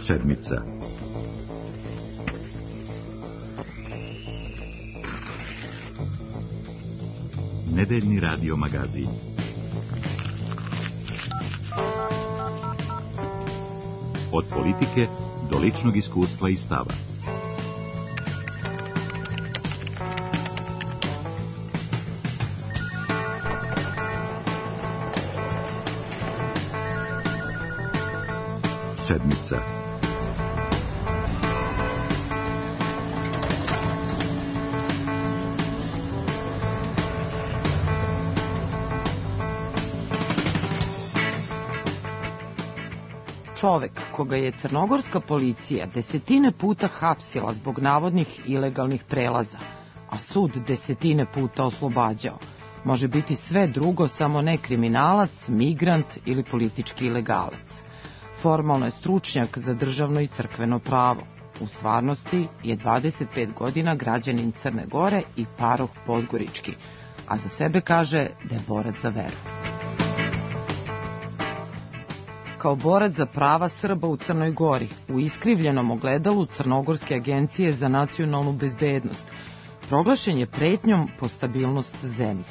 Sedmica. Nedeljni radio magazin. Od politike do ličnog iskustva i stava. Sedmica. Čovek koga je crnogorska policija desetine puta hapsila zbog navodnih ilegalnih prelaza, a sud desetine puta oslobađao, može biti sve drugo, samo ne kriminalac, migrant ili politički ilegalac. Formalno je stručnjak za državno i crkveno pravo. U stvarnosti je 25 godina građanin Crne Gore i paroh podgorički, a za sebe kaže da je borac za veru. Kao borac za prava Srba u Crnoj Gori, u iskrivljenom ogledalu Crnogorske agencije za nacionalnu bezbednost, proglašen je pretnjom po stabilnost zemlje.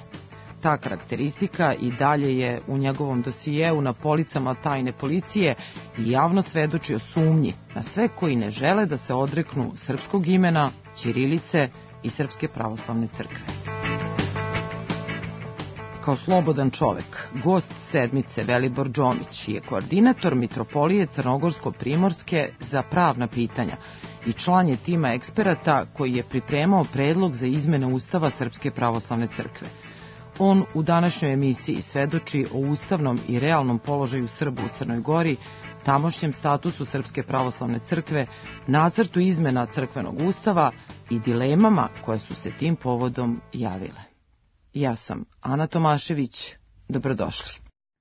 Ta karakteristika i dalje je u njegovom dosijeu na policama tajne policije i javno svedoči o sumnji na sve koji ne žele da se odreknu srpskog imena, ćirilice i Srpske pravoslavne crkve. Kao slobodan čovek, gost sedmice Velibor Džomić je koordinator Mitropolije Crnogorsko-Primorske za pravna pitanja i član je tima eksperata koji je pripremao predlog za izmene Ustava Srpske pravoslavne crkve. On u današnjoj emisiji svedoči o ustavnom i realnom položaju Srba u Crnoj Gori, tamošnjem statusu Srpske pravoslavne crkve, nacrtu izmena crkvenog ustava i dilemama koje su se tim povodom javile. Ja sam Ana Tomašević, dobrodošli.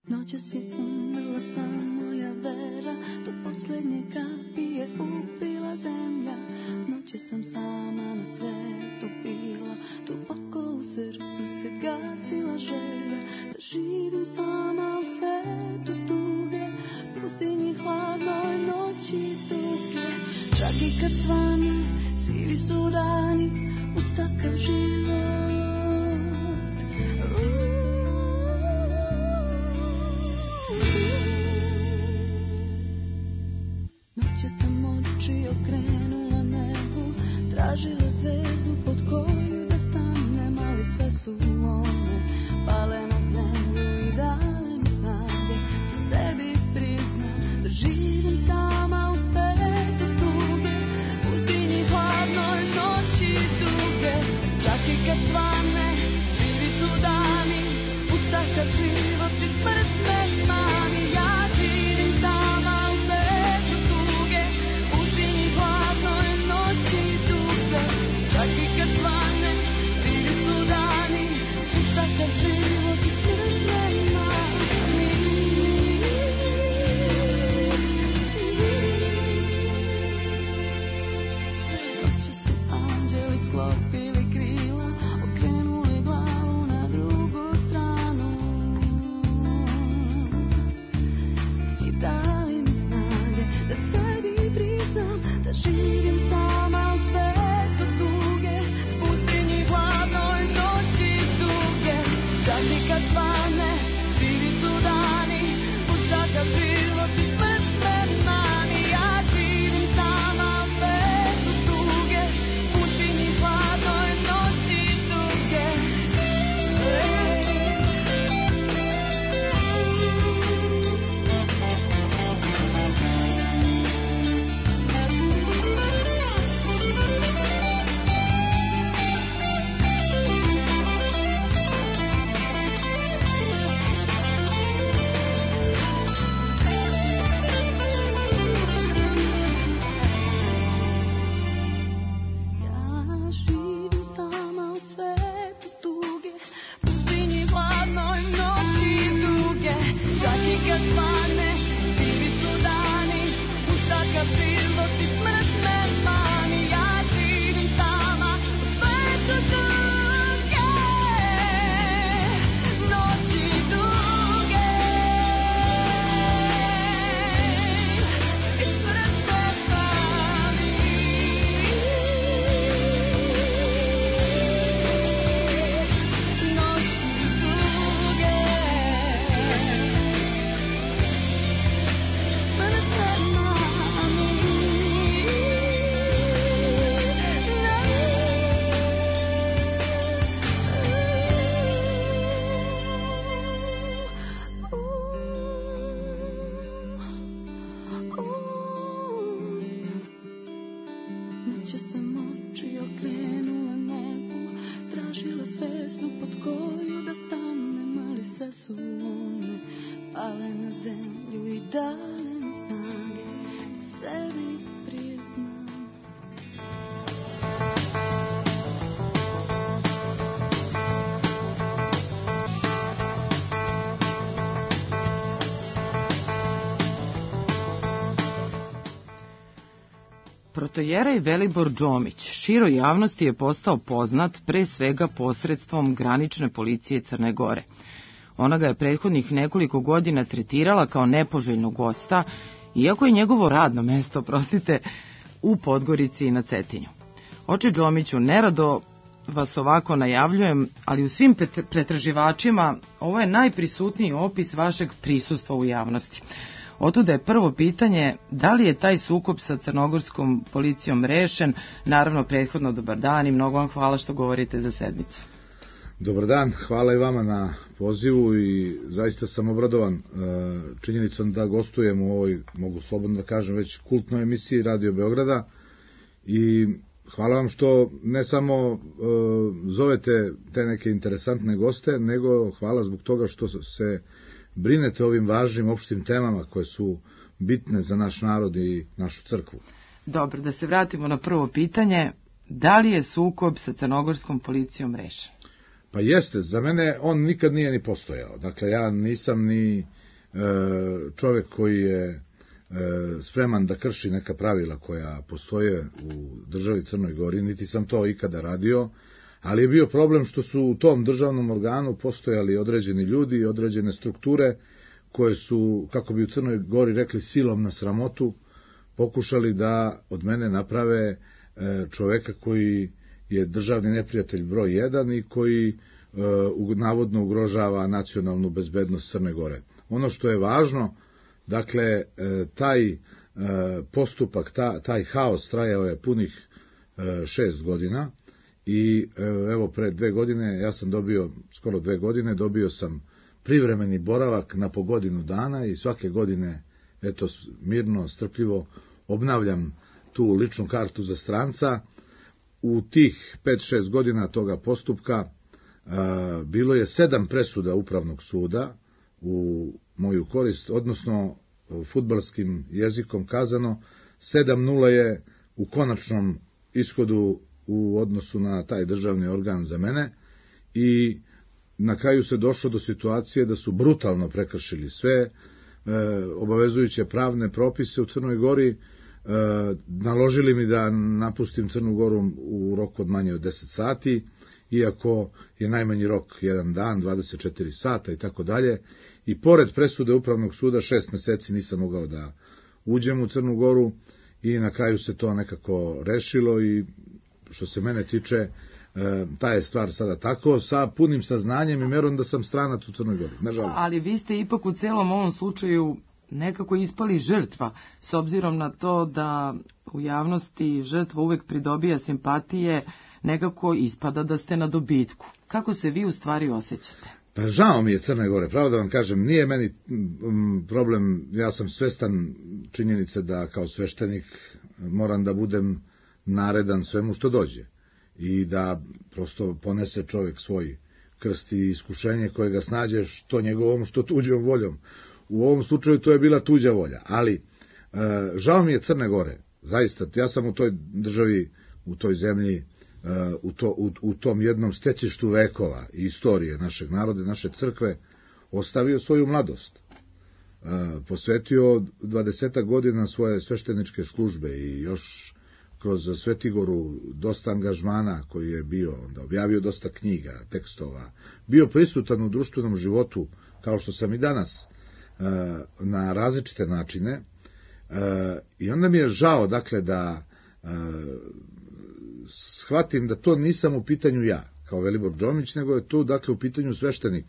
Noćas je umrla sva moja vera, do posljednje kapi je upila zemlja. Noćas sam sama na svetu bila, duboko u srcu se gasila želja. Da živim sama u svetu tuge, pustinji hladnoj noći tuge. Čak i kad svane, sivi su dani, uz takav život. Noće sam oči okrenula nebu, tražila zvezdu pod koju da stanem, ali sve su one pale na zemlju i dale mi snage da sebi priznam da živim sama u svetu tuge, pustinji hladnoj noći tuge. Čak i kad svane, sivi su dani, uz takav život i smrt me mani. Ja živim sama u svetu tuge, pustinji hladnoj noći tuge. Čak i kad svane, sivi su dani, uz takav život i smrt me mani. Noće su anđeli sklopili krila, okrenuli glavu na drugu stranu. me pale na zemlju i dale mi snage da sebi priznam. Protojerej Velibor Đomić široj javnosti je postao poznat pre svega posredstvom granične policije Crne Gore. Ona ga je prethodnih nekoliko godina tretirala kao nepoželjnog gosta, iako je njegovo radno mesto, u Podgorici i na Cetinju. Oče Đomiću, nerado vas ovako najavljujem, ali u svim pretraživačima ovo je najprisutniji opis vašeg prisustva u javnosti. Otuda je prvo pitanje, da li je taj sukob sa crnogorskom policijom rešen? Naravno, prethodno dobar dan i mnogo vam hvala što govorite za sedmicu. Dobar dan, hvala i vama na pozivu i zaista sam obradovan činjenicom da gostujem u ovoj, mogu slobodno da kažem, već kultnoj emisiji Radio Beograda i hvala vam što ne samo zovete te neke interesantne goste, nego hvala zbog toga što se brinete ovim važnim opštim temama koje su bitne za naš narod i našu crkvu. Dobro, da se vratimo na prvo pitanje. Da li je sukob sa crnogorskom policijom rešen? Pa jeste, za mene on nikad nije ni postojao. Dakle, ja nisam ni čovjek koji je spreman da krši neka pravila koja postoje u državi Crnoj Gori, niti sam to ikada radio, ali je bio problem što su u tom državnom organu postojali određeni ljudi i određene strukture koje su, kako bi u Crnoj Gori rekli, silom na sramotu, pokušali da od mene naprave čoveka koji je državni neprijatelj broj 1 i koji navodno ugrožava nacionalnu bezbednost Crne Gore. Ono što je važno, dakle, taj postupak, taj haos trajao je punih 6 godina i evo pre 2 godine, ja sam dobio, skoro 2 godine, dobio sam privremeni boravak na po godinu dana i svake godine, eto, mirno, strpljivo obnavljam tu ličnu kartu za stranca. U tih 5-6 godina toga postupka bilo je 7 presuda Upravnog suda u moju korist, odnosno fudbalskim jezikom kazano, 7-0 je u konačnom ishodu u odnosu na taj državni organ za mene i na kraju se došlo do situacije da su brutalno prekršili sve obavezujuće pravne propise u Crnoj Gori, naložili mi da napustim Crnu Goru u roku od manje od 10 sati, iako je najmanji rok 1 dan, 24 sata i tako dalje. I pored presude Upravnog suda 6 meseci nisam mogao da uđem u Crnu Goru i na kraju se to nekako rešilo i što se mene tiče, ta je stvar sada tako, sa punim saznanjem i merom da sam stranac u Crnoj Gori, nažalost. Ali vi ste ipak u celom ovom slučaju nekako ispali žrtva, s obzirom na to da u javnosti žrtva uvek pridobija simpatije, nekako ispada da ste na dobitku. Kako se vi u stvari osjećate? Pa žao mi je Crne Gore, pravo da vam kažem, nije meni problem, ja sam svestan činjenice da kao sveštenik moram da budem naredan svemu što dođe i da prosto ponese čovjek svoj krst i iskušenje koje ga snađe što njegovom, što tuđom voljom. U ovom slučaju to je bila tuđa volja, ali žao mi je Crne Gore, zaista, ja sam u toj državi, u toj zemlji, u tom jednom stecištu vekova i istorije našeg naroda, naše crkve, ostavio svoju mladost. Posvetio 20 godina svoje svešteničke službe i još kroz Svetigoru dosta angažmana koji je bio, onda objavio dosta knjiga, tekstova, bio prisutan u društvenom životu, kao što sam i danas, na različite načine, i onda mi je žao, dakle, da shvatim da to nisam u pitanju ja, kao Velibor Đomić, nego je tu, dakle, u pitanju sveštenik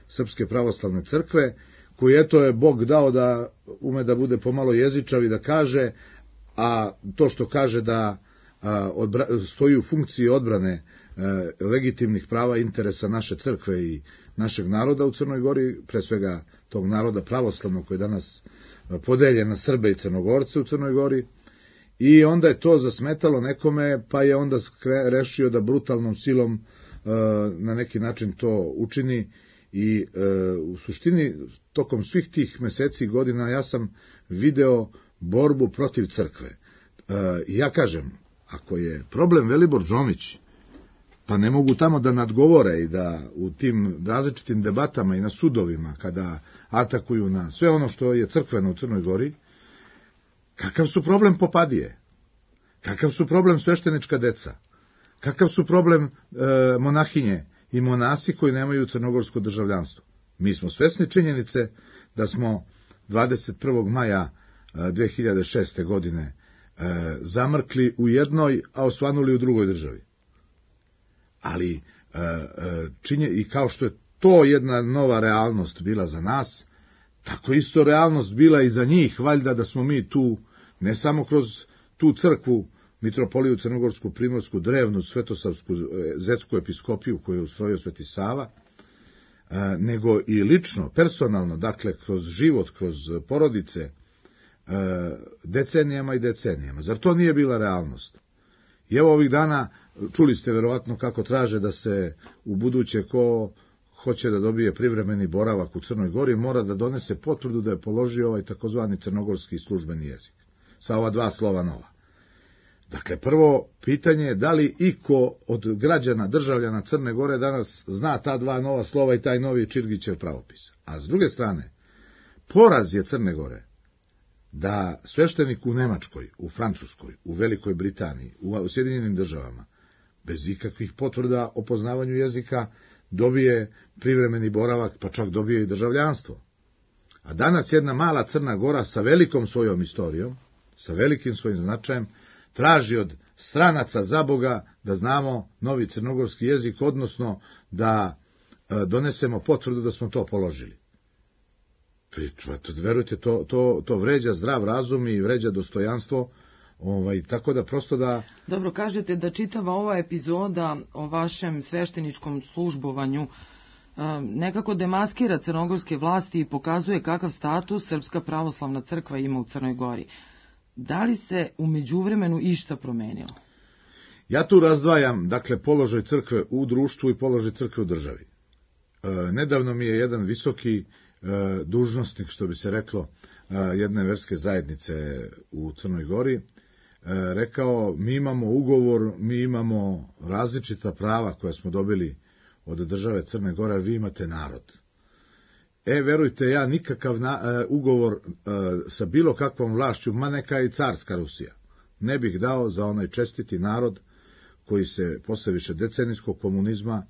Srpske pravoslavne crkve, koji eto je Bog dao da ume da bude pomalo jezičav i da kaže, a to što kaže da stoji u funkciji odbrane legitimnih prava i interesa naše crkve i našeg naroda u Crnoj Gori, pre svega tog naroda pravoslavnog koji je danas podeljen na Srbe i Crnogorce u Crnoj Gori, i onda je to zasmetalo nekome, pa je onda rešio da brutalnom silom na neki način to učini I u suštini, tokom svih tih meseci i godina, ja sam video borbu protiv crkve. I ja kažem, ako je problem Velibor Džomić, pa ne mogu tamo da nadgovore i da u tim različitim debatama i na sudovima, kada atakuju na sve ono što je crkveno u Crnoj Gori, kakav su problem popadije? Kakav su problem sveštenička deca? Kakav su problem monahinje i monasi koji nemaju crnogorsko državljanstvo? Mi smo svesni činjenice da smo 21. maja 2006. godine zamrkli u jednoj, a osvanuli u drugoj državi. Ali i kao što je to jedna nova realnost bila za nas, tako isto realnost bila i za njih, valjda da smo mi tu, ne samo kroz tu crkvu, mitropoliju Crnogorsku, Primorsku, drevnu, Svetosavsku, Zetsku episkopiju koju je ustrojio Sveti Sava, nego i lično, personalno, dakle, kroz život, kroz porodice, decenijama i decenijama. Zar to nije bila realnost? I evo ovih dana, čuli ste verovatno kako traže da se u buduće ko hoće da dobije privremeni boravak u Crnoj Gori, mora da donese potvrdu da je položio ovaj takozvani crnogorski službeni jezik, sa ova dva slova nova. Dakle, prvo pitanje je da li iko od građana, državljana Crne Gore danas zna ta dva nova slova i taj novi Čirgićev pravopis. A s druge strane, poraz je Crne Gore da sveštenik u Nemačkoj, u Francuskoj, u Velikoj Britaniji, u Sjedinjenim državama, bez ikakvih potvrda o poznavanju jezika, dobije privremeni boravak, pa čak dobije i državljanstvo. A danas jedna mala Crna Gora sa velikom svojom istorijom, sa velikim svojim značajem, traži od stranaca za Boga da znamo novi crnogorski jezik, odnosno da donesemo potvrdu da smo to položili. Verujte, to vređa zdrav razum i vređa dostojanstvo, tako da prosto da... Dobro, kažete da čitava ova epizoda o vašem svešteničkom službovanju nekako demaskira crnogorske vlasti i pokazuje kakav status Srpska pravoslavna crkva ima u Crnoj Gori. Da li se u međuvremenu išta promenilo? Ja tu razdvajam, dakle, položaj crkve u društvu i položaj crkve u državi. Nedavno mi je jedan visoki dužnosnik, što bi se reklo, jedne verske zajednice u Crnoj Gori, rekao, mi imamo ugovor, mi imamo različita prava koja smo dobili od države Crne Gore, vi imate narod. Verujte, ja nikakav ugovor sa bilo kakvom vlašću, ma neka i carska Rusija, ne bih dao za onaj čestiti narod koji se posle višedecenijskog komunizma,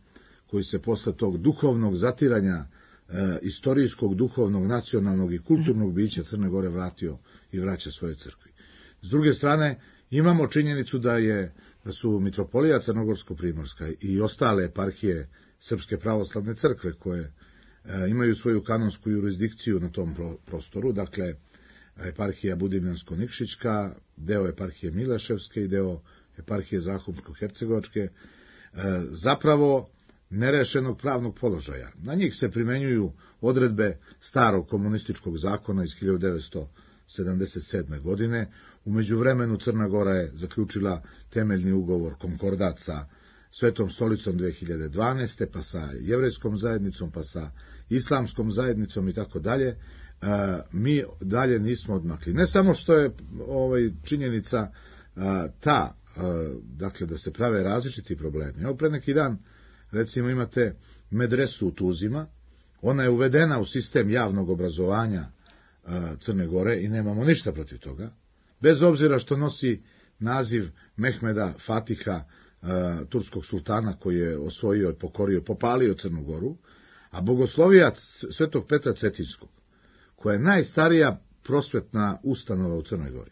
koji se posle tog duhovnog zatiranja istorijskog, duhovnog, nacionalnog i kulturnog bića Crne Gore vratio i vraća svoje crkvi. S druge strane, imamo činjenicu da su mitropolija Crnogorsko-Primorska i ostale eparhije Srpske pravoslavne crkve koje imaju svoju kanonsku jurisdikciju na tom prostoru, dakle, eparhija Budimljansko-Nikšićka, deo eparhije Mileševske i deo eparhije Zahumsko-Hercegovačke, zapravo nerešenog pravnog položaja. Na njih se primenjuju odredbe starog komunističkog zakona iz 1977. godine. U međuvremenu Crna Gora je zaključila temeljni ugovor, konkordat sa Svetom stolicom 2012. pa sa jevrejskom zajednicom, pa sa islamskom zajednicom i tako dalje. Mi dalje nismo odmakli. Ne samo što je činjenica ta, dakle, da se prave različiti problemi. Evo, pre neki dan, recimo, imate medresu u Tuzima, ona je uvedena u sistem javnog obrazovanja Crne Gore i nemamo ništa protiv toga, bez obzira što nosi naziv Mehmeda Fatiha, turskog sultana koji je osvojio, pokorio, popalio Crnu Goru, a bogoslovijac Svetog Petra Cetinskog, koja je najstarija prosvetna ustanova u Crnoj Gori,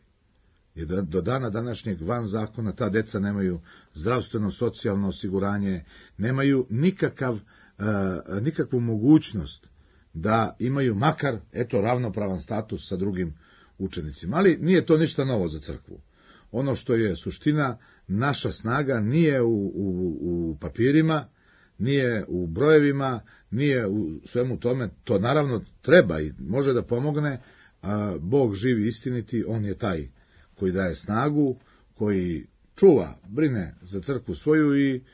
je do dana današnjeg van zakona, ta deca nemaju zdravstveno, socijalno osiguranje, nemaju nikakvu mogućnost da imaju makar, ravnopravan status sa drugim učenicima. Ali nije to ništa novo za crkvu. Ono što je suština, naša snaga nije u papirima, nije u brojevima, nije u svemu tome, to naravno treba i može da pomogne, Bog živi istiniti, on je taj koji daje snagu, koji čuva, brine za crkvu svoju i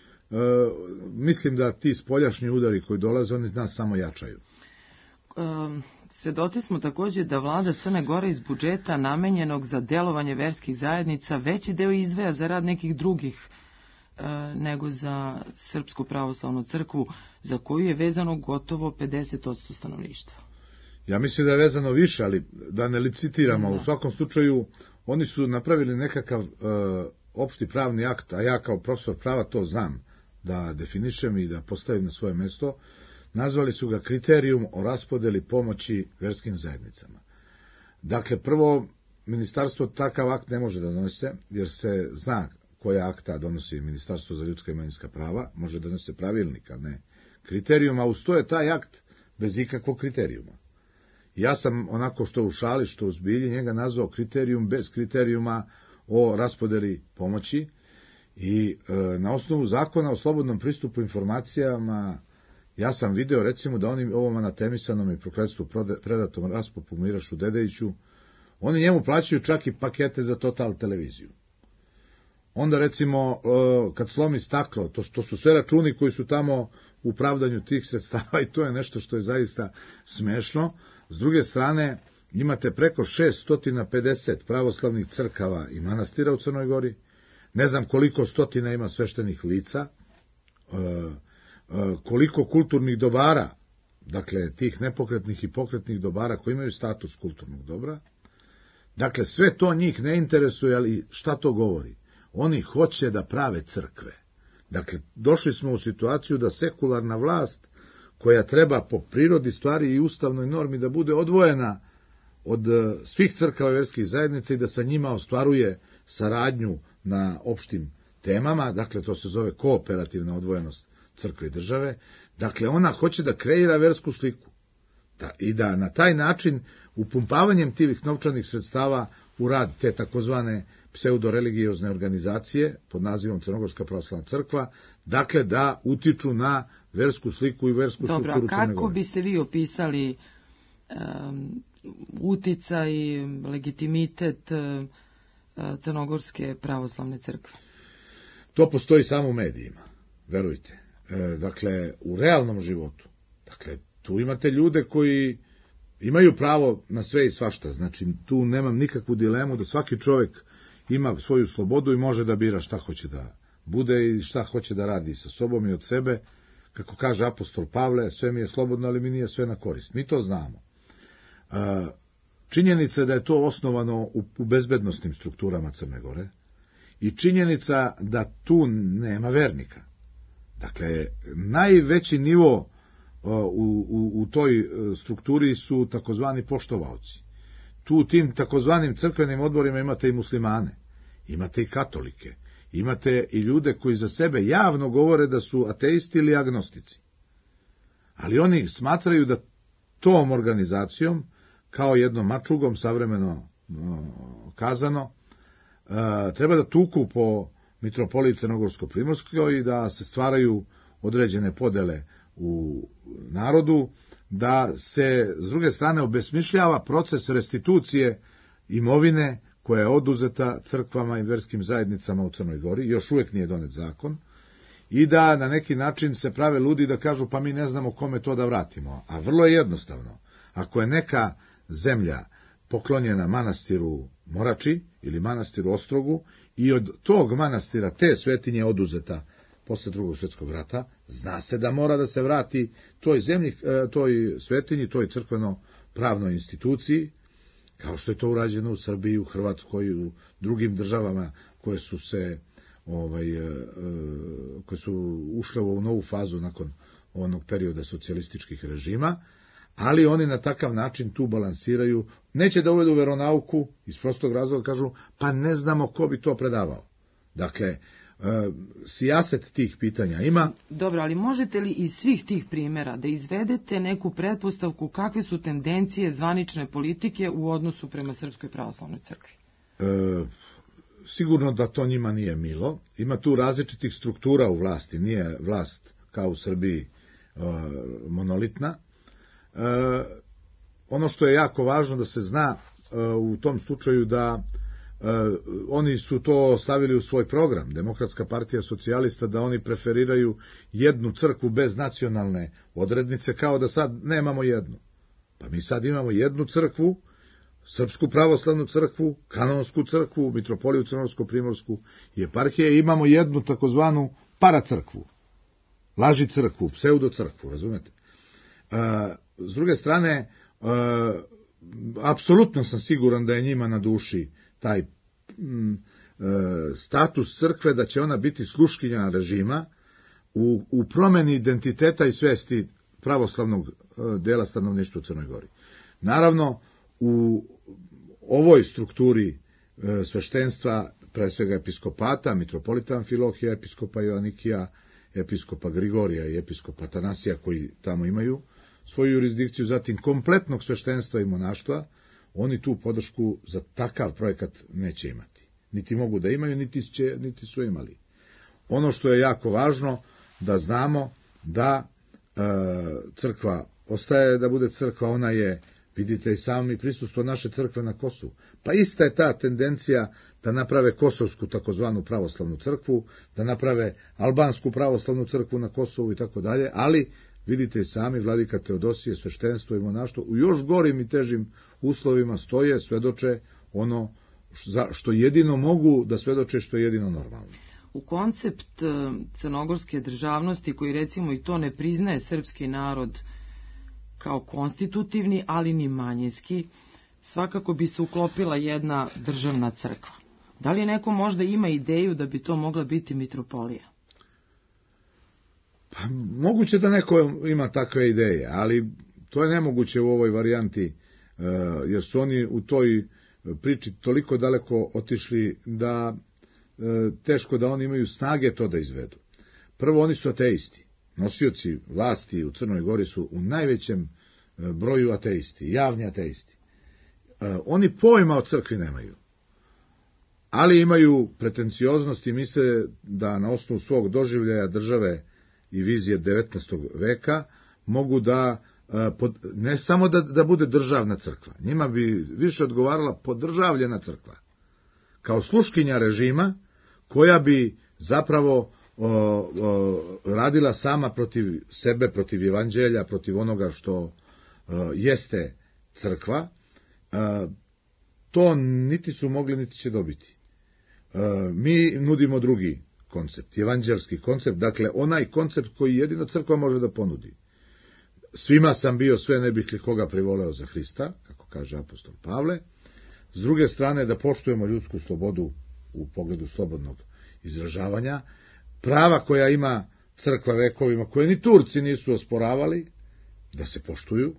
mislim da ti spoljašnji udari koji dolaze, oni nas samo jačaju. Svedoci smo također da vlada Crne Gore iz budžeta namenjenog za delovanje verskih zajednica veći deo izdvaja za rad nekih drugih nego za Srpsku pravoslavnu crkvu, za koju je vezano gotovo 50% stanovništva. Ja mislim da je vezano više, ali da ne licitiramo. U svakom slučaju, oni su napravili nekakav opšti pravni akt, a ja kao profesor prava to znam da definišem i da postavim na svoje mesto. Nazvali su ga kriterijum o raspodeli pomoći verskim zajednicama. Dakle, prvo, ministarstvo takav akt ne može da donese, jer se zna koja akta donosi Ministarstvo za ljudska i manjinska prava, može da donese pravilnik, a ne kriterijum, a uz to je taj akt bez ikakvog kriterijuma. Ja sam onako što u šali, što u zbilji njega nazvao kriterijum bez kriterijuma o raspodeli pomoći i na osnovu zakona o slobodnom pristupu informacijama ja sam video recimo da oni ovom anatemisanom i prokletstvu predatom raspopu Mirašu Dedejiću, oni njemu plaćaju čak i pakete za Total televiziju. Onda recimo kad slomi staklo, to su sve računi koji su tamo u pravdanju tih sredstava i to je nešto što je zaista smešno. S druge strane, imate preko 650 pravoslavnih crkava i manastira u Crnoj Gori, ne znam koliko stotina ima sveštenih lica, koliko kulturnih dobara, dakle tih nepokretnih i pokretnih dobara koji imaju status kulturnog dobra. Dakle, sve to njih ne interesuje, ali šta to govori? Oni hoće da prave crkve. Dakle, došli smo u situaciju da sekularna vlast, koja treba po prirodi stvari i ustavnoj normi da bude odvojena od svih crkava i verskih zajednica i da sa njima ostvaruje saradnju na opštim temama, dakle to se zove kooperativna odvojenost crkve i države, dakle ona hoće da kreira versku sliku i da na taj način upumpavanjem tih novčanih sredstava u rad te takozvane pseudoreligiozne organizacije pod nazivom Crnogorska pravoslavna crkva, dakle da utiču na versku sliku i versku strukturu Crne Gore. Dobro, a kako biste vi opisali uticaj i legitimitet Crnogorske pravoslavne crkve? To postoji samo u medijima, verujte. Dakle, u realnom životu. Dakle, tu imate ljude koji imaju pravo na sve i svašta. Znači, tu nemam nikakvu dilemu da svaki čovjek ima svoju slobodu i može da bira šta hoće da bude i šta hoće da radi sa sobom i od sebe. Kako kaže apostol Pavle, sve mi je slobodno, ali mi nije sve na korist. Mi to znamo. Činjenica je da je to osnovano u bezbednostnim strukturama Crne Gore i činjenica da tu nema vernika. Dakle, najveći nivo u toj strukturi su takozvani poštovaoci. Tu u tim takozvanim crkvenim odborima imate i muslimane, imate i katolike, imate i ljude koji za sebe javno govore da su ateisti ili agnostici. Ali oni smatraju da tom organizacijom, kao jednom mačugom, savremeno kazano, treba da tuku po mitropoliji Crnogorsko-Primorskoj i da se stvaraju određene podele u narodu, da se s druge strane obesmišljava proces restitucije imovine koja je oduzeta crkvama i verskim zajednicama u Crnoj Gori, još uvijek nije donet zakon, i da na neki način se prave ludi da kažu pa mi ne znamo kome to da vratimo. A vrlo je jednostavno. Ako je neka zemlja poklonjena manastiru Morači ili manastiru Ostrogu i od tog manastira te svetinje oduzeta posle Drugog svjetskog rata, zna se da mora da se vrati toj zemlji, toj svetinji, toj crkveno-pravnoj instituciji, kao što je to urađeno u Srbiji, u Hrvatskoj i u drugim državama koje su se koje su ušle u novu fazu nakon onog perioda socijalističkih režima, ali oni na takav način tu balansiraju, neće da uvedu veronauku, iz prostog razloga kažu, pa ne znamo ko bi to predavao. Dakle, sijaset tih pitanja ima. Dobro, ali možete li iz svih tih primjera da izvedete neku pretpostavku kakve su tendencije zvanične politike u odnosu prema Srpskoj pravoslavnoj crkvi? Sigurno da to njima nije milo. Ima tu različitih struktura u vlasti. Nije vlast kao u Srbiji monolitna. Ono što je jako važno da se zna u tom slučaju da oni su to stavili u svoj program, Demokratska partija socijalista, da oni preferiraju jednu crkvu bez nacionalne odrednice, kao da sad nemamo jednu. Pa mi sad imamo jednu crkvu, Srpsku pravoslavnu crkvu, Kanonsku crkvu, Mitropoliju Crnogorsko-primorsku i eparhije, imamo jednu takozvanu paracrkvu, laži crkvu, pseudo crkvu, razumete? S druge strane, apsolutno sam siguran da je njima na duši taj status crkve, da će ona biti sluškinja režima u promeni identiteta i svesti pravoslavnog dela stanovništva u Crnoj Gori. Naravno, u ovoj strukturi sveštenstva, pre svega episkopata, mitropolita Amfilohija, episkopa Joanikija, episkopa Grigorija i episkopa Atanasija, koji tamo imaju svoju jurisdikciju, zatim kompletnog sveštenstva i monaštva, oni tu podršku za takav projekat neće imati. Niti mogu da imaju, niti su imali. Ono što je jako važno, da znamo da crkva ostaje da bude crkva, ona je, vidite i sami, prisustvo naše crkve na Kosovu. Pa ista je ta tendencija da naprave kosovsku takozvanu pravoslavnu crkvu, da naprave albansku pravoslavnu crkvu na Kosovu i tako dalje, ali vidite i sami, vladika Teodosije, sveštenstvo i monaštvo u još gorim i težim uslovima stoje, svedoče ono što jedino mogu da svedoče, što je jedino normalno. U koncept crnogorske državnosti, koji recimo i to ne priznaje srpski narod kao konstitutivni, ali ni manjinski, svakako bi se uklopila jedna državna crkva. Da li neko možda ima ideju da bi to mogla biti mitropolija? Pa, moguće da neko ima takve ideje, ali to je nemoguće u ovoj varijanti, jer su oni u toj priči toliko daleko otišli da teško da oni imaju snage to da izvedu. Prvo, oni su ateisti. Nosioci vlasti u Crnoj Gori su u najvećem broju ateisti, javni ateisti. Oni pojma o crkvi nemaju, ali imaju pretencioznost i misle da na osnovu svog doživljaja države i vizije 19. veka mogu da, ne samo da bude državna crkva, njima bi više odgovarala podržavljena crkva, kao sluškinja režima, koja bi zapravo radila sama protiv sebe, protiv evanđelja, protiv onoga što jeste crkva. To niti su mogli, niti će dobiti. Mi nudimo drugi koncept, evanđelski koncept, dakle onaj koncept koji jedino crkva može da ponudi. Svima sam bio, sve ne bih li koga privoleo za Hrista, kako kaže apostol Pavle. S druge strane, da poštujemo ljudsku slobodu u pogledu slobodnog izražavanja, prava koja ima crkva vekovima, koje ni Turci nisu osporavali, da se poštuju,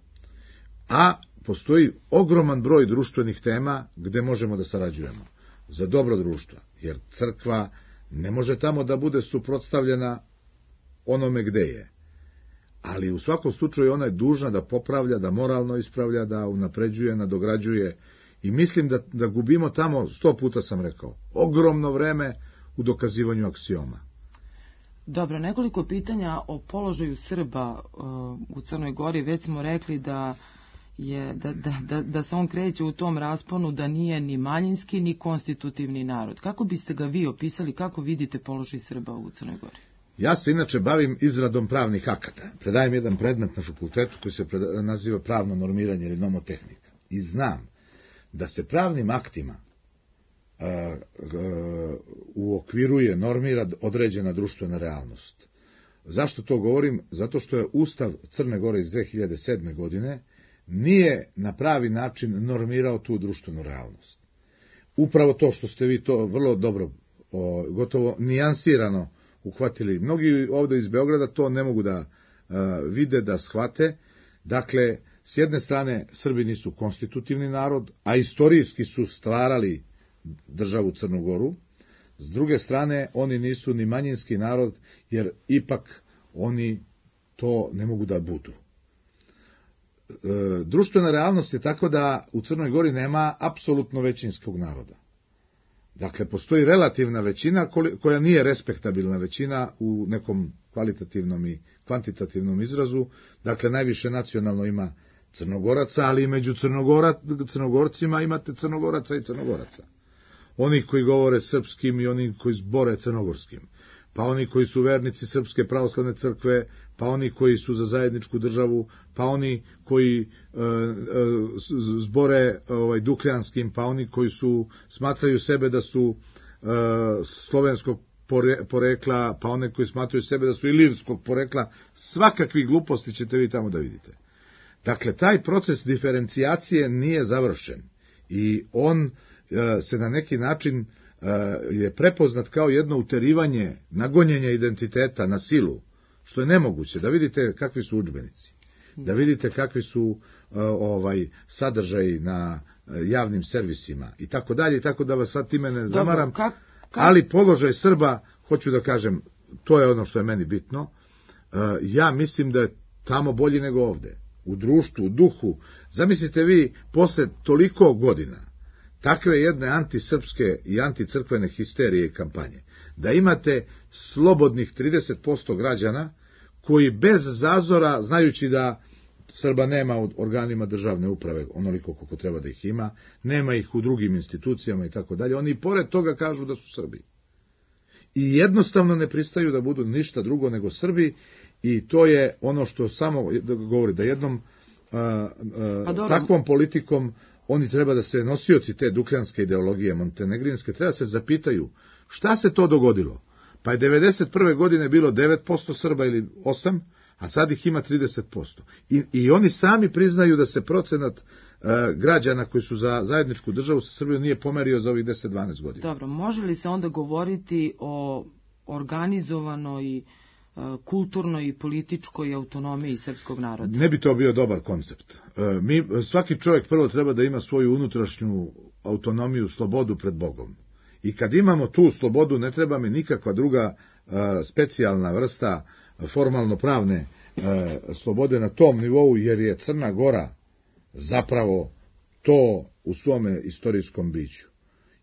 a postoji ogroman broj društvenih tema gde možemo da sarađujemo za dobro društva, jer crkva ne može tamo da bude suprotstavljena onome gde je. Ali u svakom slučaju ona je dužna da popravlja, da moralno ispravlja, da unapređuje, nadograđuje, i mislim da gubimo tamo, 100 puta sam rekao, ogromno vreme u dokazivanju aksioma. Dobro, nekoliko pitanja o položaju Srba u Crnoj Gori. Već smo rekli da se on kreće u tom rasponu, da nije ni manjinski ni konstitutivni narod. Kako biste ga vi opisali, kako vidite položaj Srba u Crnoj Gori? Ja se inače bavim izradom pravnih akata. Predajem jedan predmet na fakultetu koji se naziva pravno normiranje ili nomotehnika. I znam da se pravnim aktima uokviruje, normira određena društvena realnost. Zašto to govorim? Zato što je Ustav Crne Gore iz 2007. godine nije na pravi način normirao tu društvenu realnost. Upravo to što ste vi to vrlo dobro, gotovo nijansirano uhvatili. Mnogi ovde iz Beograda to ne mogu da vide, da shvate. Dakle, s jedne strane, Srbi nisu konstitutivni narod, a istorijski su stvarali državu Crnu Goru. S druge strane, oni nisu ni manjinski narod, jer ipak oni to ne mogu da budu. Društvena realnost je tako da u Crnoj Gori nema apsolutno većinskog naroda. Dakle, postoji relativna većina koja nije respektabilna većina u nekom kvalitativnom i kvantitativnom izrazu. Dakle, najviše nacionalno ima Crnogoraca, ali i među Crnogorcima imate Crnogoraca i Crnogoraca. oni koji govore srpskim i oni koji zbore crnogorskim, pa oni koji su vernici Srpske pravoslavne crkve, pa oni koji su za zajedničku državu, pa oni koji zbore dukljanskim, pa oni koji smatraju sebe da su slovenskog porekla, pa one koji smatraju sebe da su ilirskog porekla, svakakvi gluposti ćete vi tamo da vidite. Dakle, taj proces diferencijacije nije završen i on se na neki način je prepoznat kao jedno uterivanje, nagonjenje identiteta na silu, što je nemoguće. Da vidite kakvi su udžbenici, da vidite kakvi su sadržaji na javnim servisima i tako dalje, i tako da vas sad time ne zamaram. Ali položaj Srba, hoću da kažem, to je ono što je meni bitno, ja mislim da je tamo bolji nego ovde. U društvu, u duhu. Zamislite vi, posle toliko godina, takve jedne antisrpske i anticrkvene histerije i kampanje, da imate slobodnih 30% građana koji bez zazora, znajući da Srba nema u organima državne uprave onoliko koliko treba da ih ima, nema ih u drugim institucijama i tako dalje, oni i pored toga kažu da su Srbi. I jednostavno ne pristaju da budu ništa drugo nego Srbi, i to je ono što samo govori da jednom takvom politikom oni treba da se nosioci te dukljanske ideologije montenegrinske treba se zapitaju šta se to dogodilo. Pa je 91. godine bilo 9% Srba ili 8%, a sad ih ima 30%. I oni sami priznaju da se procenat građana koji su za zajedničku državu sa Srbijom nije pomerio za ovih 10-12 godina. Dobro, može li se onda govoriti o organizovanoj kulturnoj i političkoj autonomiji srpskog naroda? Ne bi to bio dobar koncept. Svaki čovjek prvo treba da ima svoju unutrašnju autonomiju, slobodu pred Bogom. I kad imamo tu slobodu, ne treba mi nikakva druga specijalna vrsta formalno-pravne slobode na tom nivou, jer je Crna Gora zapravo to u svome istorijskom biću.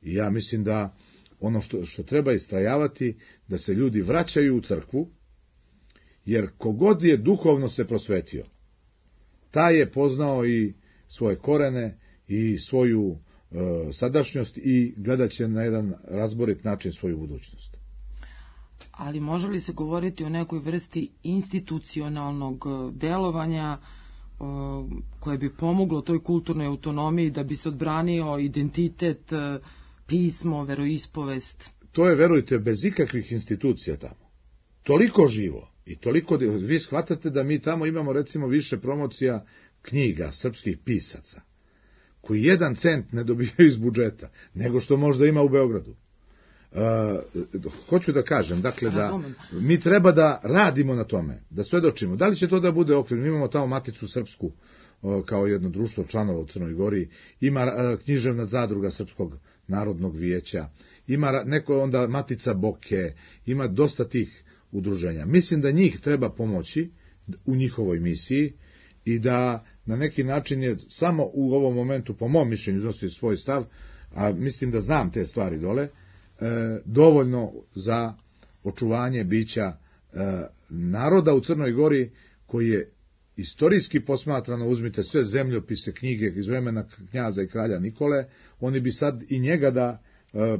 I ja mislim da ono što treba istrajavati, da se ljudi vraćaju u crkvu, jer kogod je duhovno se prosvetio, taj je poznao i svoje korene i svoju sadašnjost i gledat će na jedan razborit način svoju budućnost. Ali može li se govoriti o nekoj vrsti institucionalnog delovanja koje bi pomoglo toj kulturnoj autonomiji da bi se odbranio identitet, pismo, veroispovest? To je, verujte, bez ikakvih institucija tamo. Toliko živo i toliko... Vi shvatate da mi tamo imamo recimo više promocija knjiga srpskih pisaca, koji 1 cent ne dobijaju iz budžeta, nego što možda ima u Beogradu. Hoću da kažem, dakle, da mi treba da radimo na tome, da svedočimo. Da li će to da bude okvir? Mi imamo tamo Maticu srpsku kao jedno društvo članova u Crnoj Gori, ima književna zadruga Srpskog narodnog vijeća, ima neko onda Matica Boke, ima dosta tih udruženja. Mislim da njih treba pomoći u njihovoj misiji i da na neki način je samo u ovom momentu, po mom mišljenju, iznosi svoj stav, a mislim da znam te stvari dole, dovoljno za očuvanje bića naroda u Crnoj Gori, koji je istorijski posmatrano, uzmite sve zemljopise, knjige iz vremena knjaza i kralja Nikole, oni bi sad i njega da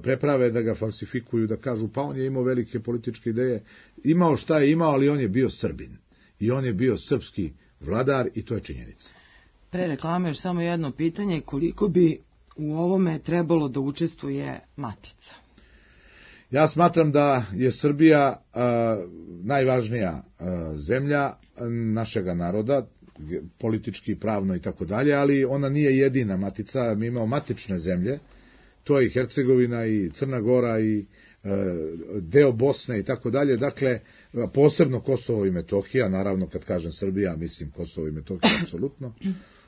preprave, da ga falsifikuju, da kažu pa on je imao velike političke ideje, imao šta je imao, ali on je bio Srbin i on je bio srpski vladar i to je činjenica. Pre reklame još samo jedno pitanje, koliko bi u ovome trebalo da učestvuje Matica? Ja smatram da je Srbija najvažnija zemlja našega naroda, politički, pravno i tako dalje, ali ona nije jedina Matica, mi imamo matične zemlje, to je i Hercegovina i Crna Gora i deo Bosne i tako dalje, dakle, posebno Kosovo i Metohija, naravno kad kažem Srbija, mislim Kosovo i Metohija, apsolutno.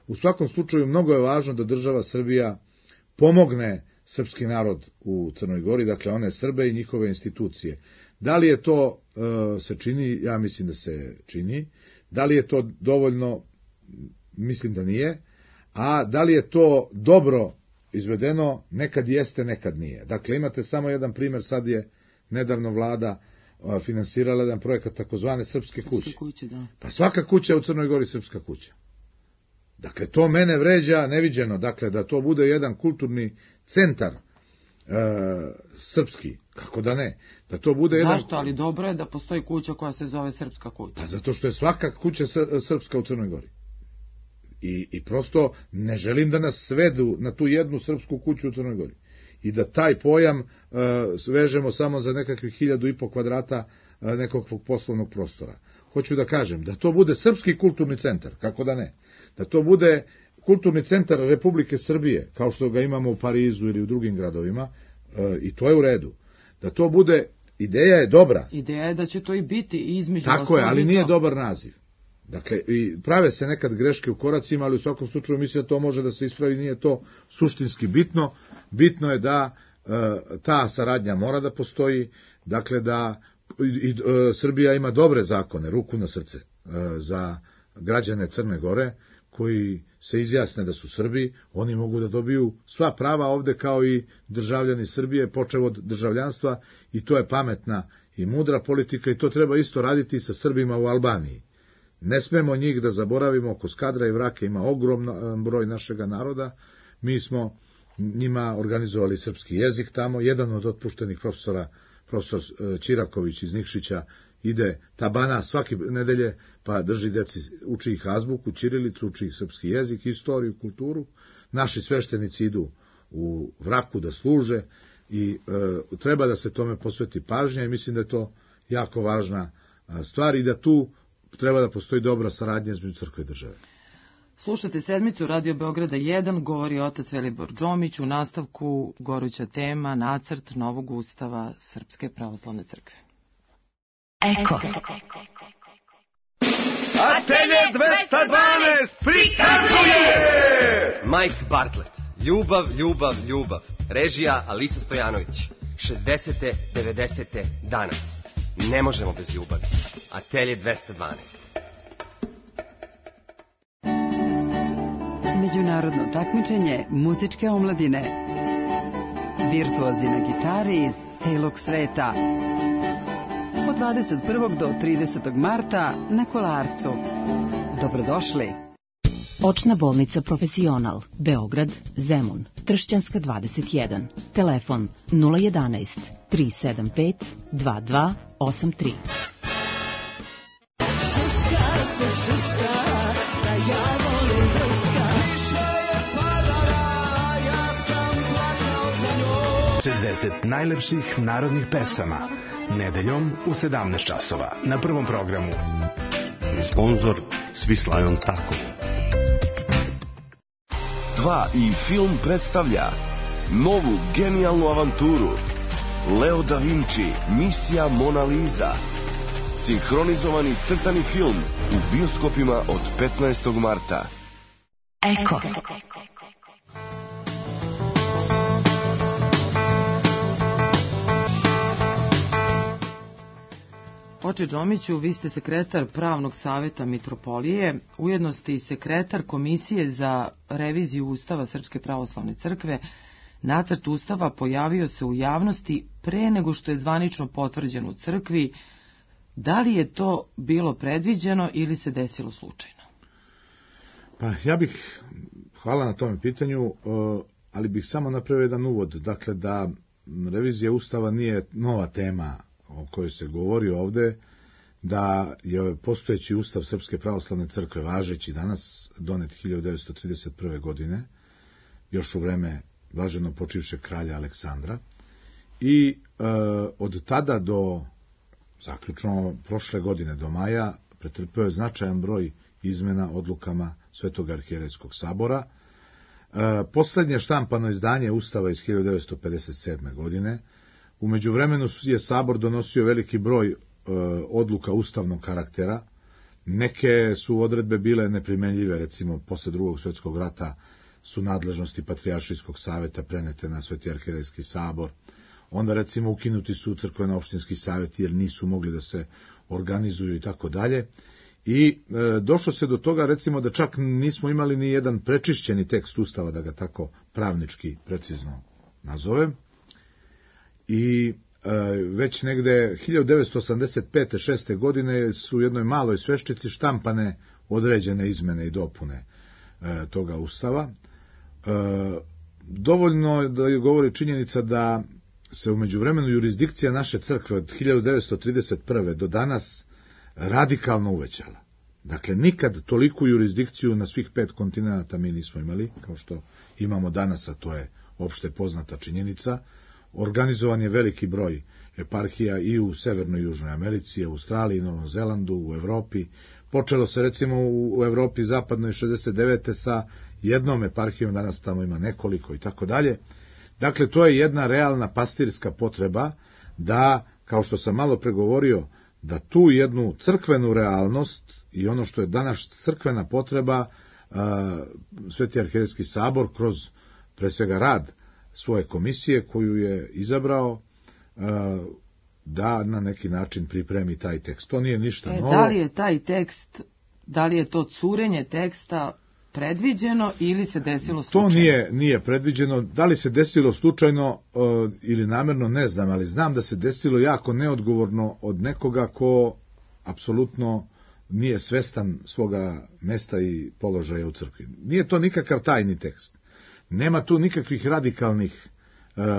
U svakom slučaju, mnogo je važno da država Srbija pomogne srpski narod u Crnoj Gori, dakle one Srbe i njihove institucije. Da li je to se čini? Ja mislim da se čini. Da li je to dovoljno? Mislim da nije. A da li je to dobro izvedeno? Nekad jeste, nekad nije. Dakle, imate samo jedan primjer, sad je nedavno vlada finansirala jedan projekat takozvane Srpske kuće. Da. Pa svaka kuća u Crnoj Gori srpska kuća. Dakle, to mene vređa neviđeno, dakle, da to bude jedan kulturni centar srpski, kako da ne, da to bude Zašto? Ali dobro je da postoji kuća koja se zove Srpska kuća. Pa zato što je svaka kuća srpska u Crnoj Gori. I prosto ne želim da nas svedu na tu jednu srpsku kuću u Crnoj Gori. I da taj pojam svežemo samo za nekakvih 1500 kvadrata nekog poslovnog prostora. Hoću da kažem, da to bude srpski kulturni centar, kako da ne. Da to bude kulturni centar Republike Srbije, kao što ga imamo u Parizu ili u drugim gradovima, i to je u redu. Da to bude, ideja je dobra. Ideja je da će to i biti između. Tako je, ali nije dobar naziv. Dakle, i prave se nekad greške u koracima, ali u svakom slučaju mislim da to može da se ispravi, nije to suštinski bitno. Bitno je da ta saradnja mora da postoji, dakle da Srbija ima dobre zakone, ruku na srce, za građane Crne Gore, koji se izjasne da su Srbi, oni mogu da dobiju sva prava ovde kao i državljani Srbije, počev od državljanstva, i to je pametna i mudra politika i to treba isto raditi sa Srbima u Albaniji. Ne smemo njih da zaboravimo, oko Skadra i Vrake ima ogroman broj našega naroda, mi smo njima organizovali srpski jezik tamo, jedan od otpuštenih profesor Ćiraković iz Nikšića, ide tabana svake nedelje, pa drži deci, uči ih azbuku, ćirilicu, uči ih srpski jezik, istoriju, kulturu. Naši sveštenici idu u Vraku da služe i treba da se tome posveti pažnja i mislim da je to jako važna stvar i da tu treba da postoji dobra saradnja između crkve i države. Slušate sedmicu Radio Beograda 1, govori otac Velibor Đomić, u nastavku goruća tema, nacrt novog ustava Srpske pravoslavne crkve. Eko. Atelje 212 prikazuje Mike Bartlett, Ljubav, ljubav, ljubav. Režija Alisa Stojanović. 60. 90. danas. Ne možemo bez ljubavi. Atelje 212. Međunarodno takmičenje muzičke omladine. Virtuozi na gitari iz celog sveta. Od 21. do 30. marta na Kolarcu. Dobrodošli. Očna bolnica Profesional, Beograd, Zemun, Tršćanska 21. Telefon 011 375 2283. Suska se suska, da ja volim drska. Više je padala, ja sam plakao za njom. 60 najlepših narodnih pesama. Nedeljom u 17 časova na Prvom programu. Sponzor Svislajon Tako. 2 i film predstavlja novu genijalnu avanturu Leo da Vinci, Misija Mona Lisa. Sinhronizovani crtani film u bioskopima od 15. marta. Eko. Oče Đomiću, vi ste sekretar Pravnog saveta Mitropolije, ujedno ste i sekretar Komisije za reviziju Ustava Srpske pravoslavne crkve. Nacrt Ustava pojavio se u javnosti pre nego što je zvanično potvrđen u crkvi. Da li je to bilo predviđeno ili se desilo slučajno? Pa ja bih, hvala na tome pitanju, ali bih samo napravio jedan uvod. Dakle, da revizija Ustava nije nova tema o kojoj se govori ovde, da je postojeći Ustav Srpske pravoslavne crkve, važeći danas, donet 1931. godine, još u vreme blaženo počivšeg kralja Aleksandra, i od tada do, zaključno prošle godine, do maja, pretrpeo je značajan broj izmena odlukama Svetog arhijerejskog sabora. Poslednje štampano izdanje Ustava iz 1957. godine. U međuvremenu je Sabor donosio veliki broj odluka ustavnog karaktera. Neke su odredbe bile neprimenljive, recimo posle Drugog svjetskog rata su nadležnosti Patrijaršijskog saveta prenete na Sveti arhijerejski sabor. Onda recimo ukinuti su crkveno-opštinski saveti jer nisu mogli da se organizuju i tako dalje. I došlo se do toga recimo da čak nismo imali ni jedan prečišćeni tekst Ustava, da ga tako pravnički precizno nazovem. I već negde 1985. 6. godine su u jednoj maloj sveščici štampane određene izmene i dopune toga Ustava. dovoljno da govori činjenica da se u međuvremenu jurisdikcija naše crkve od 1931. do danas radikalno uvećala. Dakle, nikad toliku jurisdikciju na svih 5 kontinenta mi nismo imali, kao što imamo danas, a to je opšte poznata činjenica. Organizovan je veliki broj eparhija i u Severnoj i Južnoj Americi, Australiji, Novom Zelandu, u Evropi. Počelo se recimo u Evropi zapadnoj 69. sa jednom eparhijom, danas tamo ima nekoliko i tako dalje. Dakle, to je jedna realna pastirska potreba da, kao što sam malo pregovorio, da tu jednu crkvenu realnost i ono što je danas crkvena potreba, Sveti arhijerejski sabor kroz pre svega rad svoje komisije koju je izabrao, da na neki način pripremi taj tekst. To nije ništa novo. Da li je taj tekst, da li je to curenje teksta predviđeno ili se desilo slučajno? To nije predviđeno. Da li se desilo slučajno ili namerno, ne znam, ali znam da se desilo jako neodgovorno od nekoga ko apsolutno nije svestan svoga mesta i položaja u crkvi. Nije to nikakav tajni tekst. Nema tu nikakvih radikalnih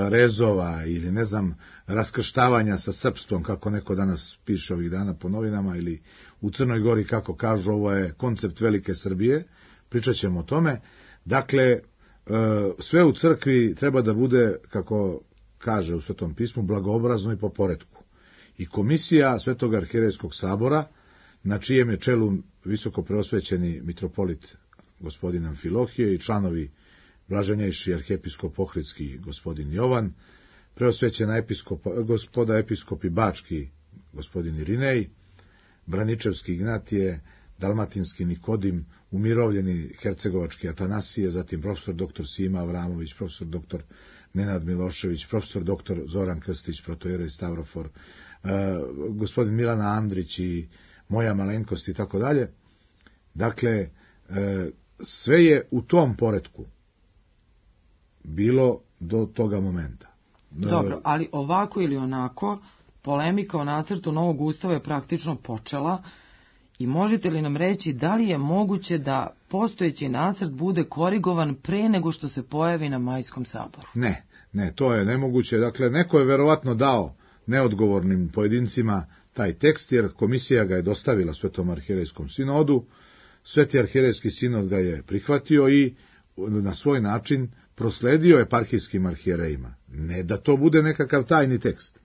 rezova ili ne znam raskrštavanja sa srpstvom, kako neko danas piše ovih dana po novinama, ili u Crnoj Gori kako kažu ovo je koncept velike Srbije. Pričat ćemo o tome. Dakle, sve u crkvi treba da bude, kako kaže u Svetom pismu, blagoobrazno i po poretku. I komisija Svetog arhijerejskog sabora, na čijem je čelu visoko preosvećeni mitropolit gospodin Amfilohije i članovi blaženjejši arhijepiskop Ohridski gospodin Jovan, preosvećena gospoda episkopi Bački gospodin Irinej, Braničevski Ignatije, Dalmatinski Nikodim, umirovljeni hercegovački Atanasije, zatim profesor dr. Sima Avramović, profesor dr. Nenad Milošević, profesor dr. Zoran Krstić, protojerej Stavrofor, gospodin Milana Andrić i moja malenkost i tako dalje. Dakle, sve je u tom poretku bilo do toga momenta. Dobro, ali ovako ili onako, polemika o nacrtu novog ustava je praktično počela i možete li nam reći da li je moguće da postojeći nacrt bude korigovan pre nego što se pojavi na Majskom saboru? Ne, to je nemoguće. Dakle, neko je verovatno dao neodgovornim pojedincima taj tekst, jer komisija ga je dostavila Svetom arhijerejskom sinodu, Sveti arhijerejski sinod ga je prihvatio i na svoj način prosledio eparhijskim arhijerejima. Ne da to bude nekakav tajni tekst,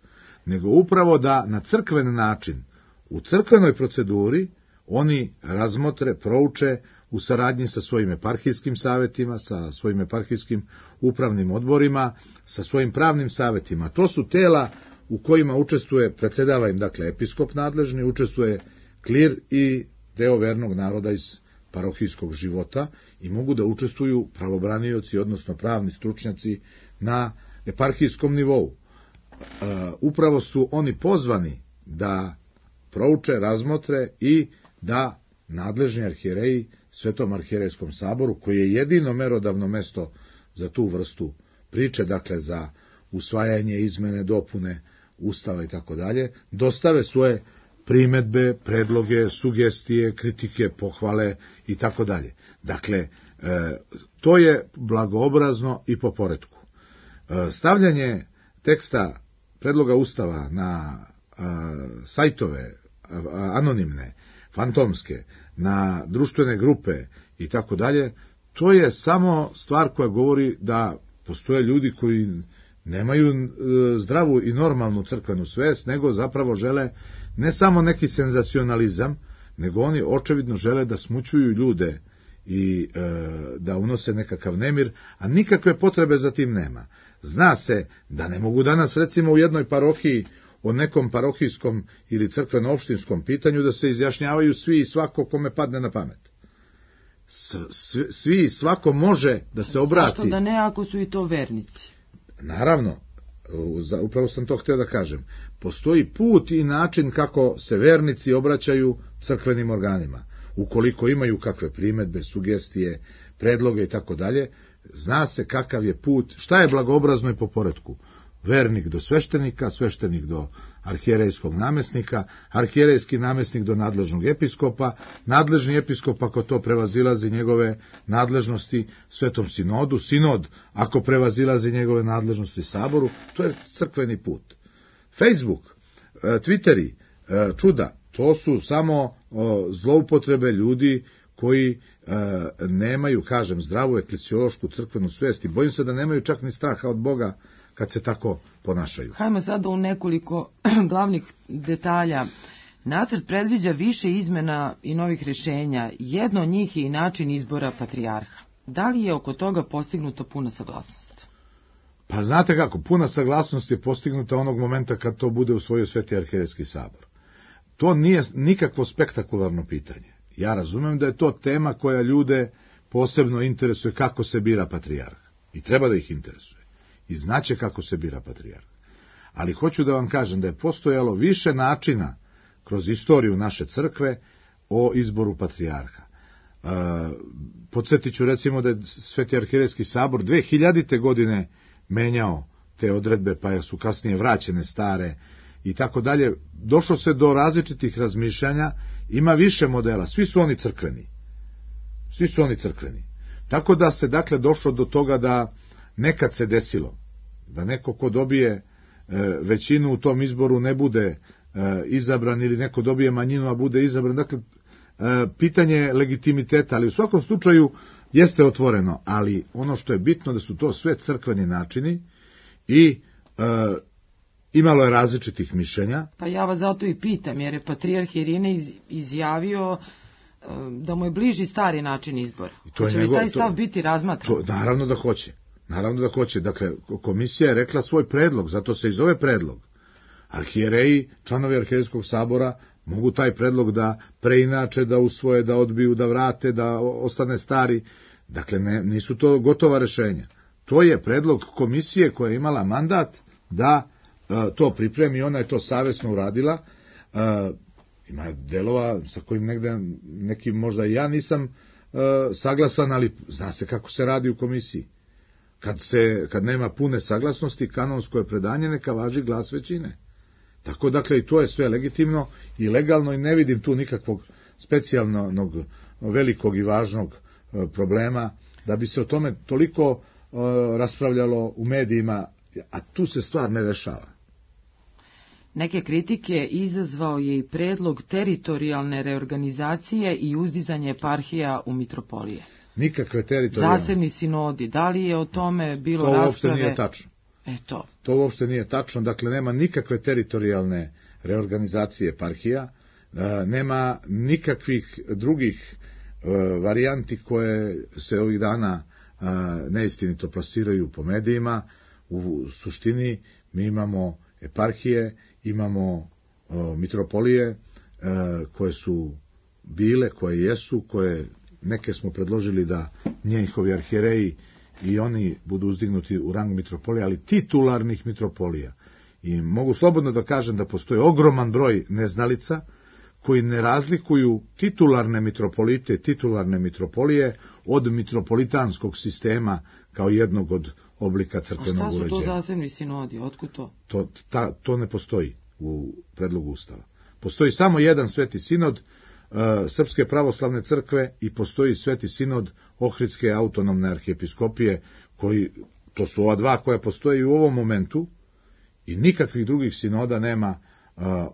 nego upravo da na crkven način, u crkvenoj proceduri, oni razmotre, prouče u saradnji sa svojim eparhijskim savetima, sa svojim eparhijskim upravnim odborima, sa svojim pravnim savetima. To su tela u kojima učestvuje, predsjedava im dakle episkop nadležni, učestvuje klir i deo vernog naroda iz parohijskog života i mogu da učestvuju pravobranioci, odnosno pravni stručnjaci na eparhijskom nivou. Upravo su oni pozvani da prouče, razmotre i da nadležni arhijereji Svetom arhijerejskom saboru, koji je jedino merodavno mesto za tu vrstu priče, dakle za usvajanje, izmene, dopune Ustava i tako dalje, dostave svoje primedbe, predloge, sugestije, kritike, pohvale i tako dalje. Dakle, to je blagoobrazno i po poretku. Stavljanje teksta predloga Ustava na sajtove anonimne, fantomske, na društvene grupe i tako dalje, to je samo stvar koja govori da postoje ljudi koji nemaju zdravu i normalnu crkvenu svest, nego zapravo žele ne samo neki senzacionalizam, nego oni očevidno žele da smućuju ljude i da unose nekakav nemir, a nikakve potrebe za tim nema. Zna se da ne mogu danas recimo u jednoj parohiji o nekom parohijskom ili crkveno-opštinskom pitanju da se izjašnjavaju svi i svako kome padne na pamet. Svi i svako može da se obrati. Zašto da ne ako su i to vernici? Naravno, upravo sam to htio da kažem. Postoji put i način kako se vernici obraćaju crkvenim organima. Ukoliko imaju kakve primedbe, sugestije, predloge i tako dalje, zna se kakav je put, šta je blagoobrazno i po poretku. vernik do sveštenika, sveštenik do arhijerejskog namesnika, arhijerejski namesnik do nadležnog episkopa, nadležni episkop ako to prevazilazi njegove nadležnosti svetom sinodu, sinod ako prevazilazi njegove nadležnosti saboru, to je crkveni put. Facebook, Twitteri, čuda, to su samo zloupotrebe ljudi koji nemaju, kažem, zdravu eklesiološku crkvenu svest i bojim se da nemaju čak ni straha od Boga kad se tako ponašaju. Hajmo sada u nekoliko glavnih detalja. Nacrt predviđa više izmena i novih rješenja. Jedno od njih je i način izbora patrijarha. Da li je oko toga postignuta puna saglasnost? Pa znate kako, puna saglasnost je postignuta onog momenta kad to bude usvojio Sveti arhijerejski sabor. To nije nikakvo spektakularno pitanje. Ja razumem da je to tema koja ljude posebno interesuje kako se bira patrijarh. I treba da ih interesuje. I znaće kako se bira patrijarh. Ali hoću da vam kažem da je postojalo više načina kroz istoriju naše crkve o izboru patrijarha. Podsjetit ću recimo da je Sveti arhijerejski sabor 2000. godine menjao te odredbe, pa su kasnije vraćene stare i tako dalje. Došlo se do različitih razmišljanja, ima više modela, svi su oni crkveni. Svi su oni crkveni. Tako da se dakle došlo do toga da nekad se desilo da neko ko dobije većinu u tom izboru ne bude izabran ili neko dobije manjinu a bude izabran. Dakle, pitanje legitimiteta, ali u svakom slučaju jeste otvoreno, ali ono što je bitno da su to sve crkveni načini i imalo je različitih mišljenja. Pa ja vas zato i pitam, jer je patrijarh Irine izjavio da mu je bliži stari način izbora. Hoće li taj stav biti razmatran? Naravno da hoće. Naravno da hoće. Dakle, komisija je rekla svoj predlog, zato se i zove predlog. Arhijereji, članovi arhijerejskog sabora, mogu taj predlog da preinače, da usvoje, da odbiju, da vrate, da ostane stari. Dakle, nisu to gotova rešenja. To je predlog komisije koja je imala mandat da to pripremi, ona je to savesno uradila. Ima delova sa kojim nekim možda i ja nisam saglasan, ali zna se kako se radi u komisiji. Kad nema pune saglasnosti, kanonsko je predanje, neka važi glas većine. Tako, dakle, i to je sve legitimno i legalno i ne vidim tu nikakvog specijalnog, velikog i važnog problema, da bi se o tome toliko raspravljalo u medijima, a tu se stvar ne rešava. Neke kritike izazvao je i predlog teritorijalne reorganizacije i uzdizanje eparhija u mitropolije. Nikakve teritorijalne. Zasebni sinodi, da li je o tome bilo rasprave? To uopšte nije tačno. To uopšte nije tačno, dakle nema nikakve teritorijalne reorganizacije eparhija, nema nikakvih drugih varijanti koje se ovih dana neistinito plasiraju po medijima. U suštini mi imamo eparhije, imamo mitropolije koje su bile, koje jesu, koje neke smo predložili da njihovi arhijereji i oni budu uzdignuti u rang mitropolija, ali titularnih mitropolija. I mogu slobodno da kažem da postoji ogroman broj neznalica koji ne razlikuju titularne mitropolite, titularne mitropolije od mitropolitanskog sistema kao jednog od oblika crkvenog uređenja. A šta su to zasebni sinodi? Otkud to? To ne postoji u predlogu Ustava. Postoji samo jedan sveti sinod Srpske pravoslavne crkve i postoji sveti sinod Ohridske autonomne arhijepiskopije, to su ova dva koja postoje u ovom momentu i nikakvih drugih sinoda nema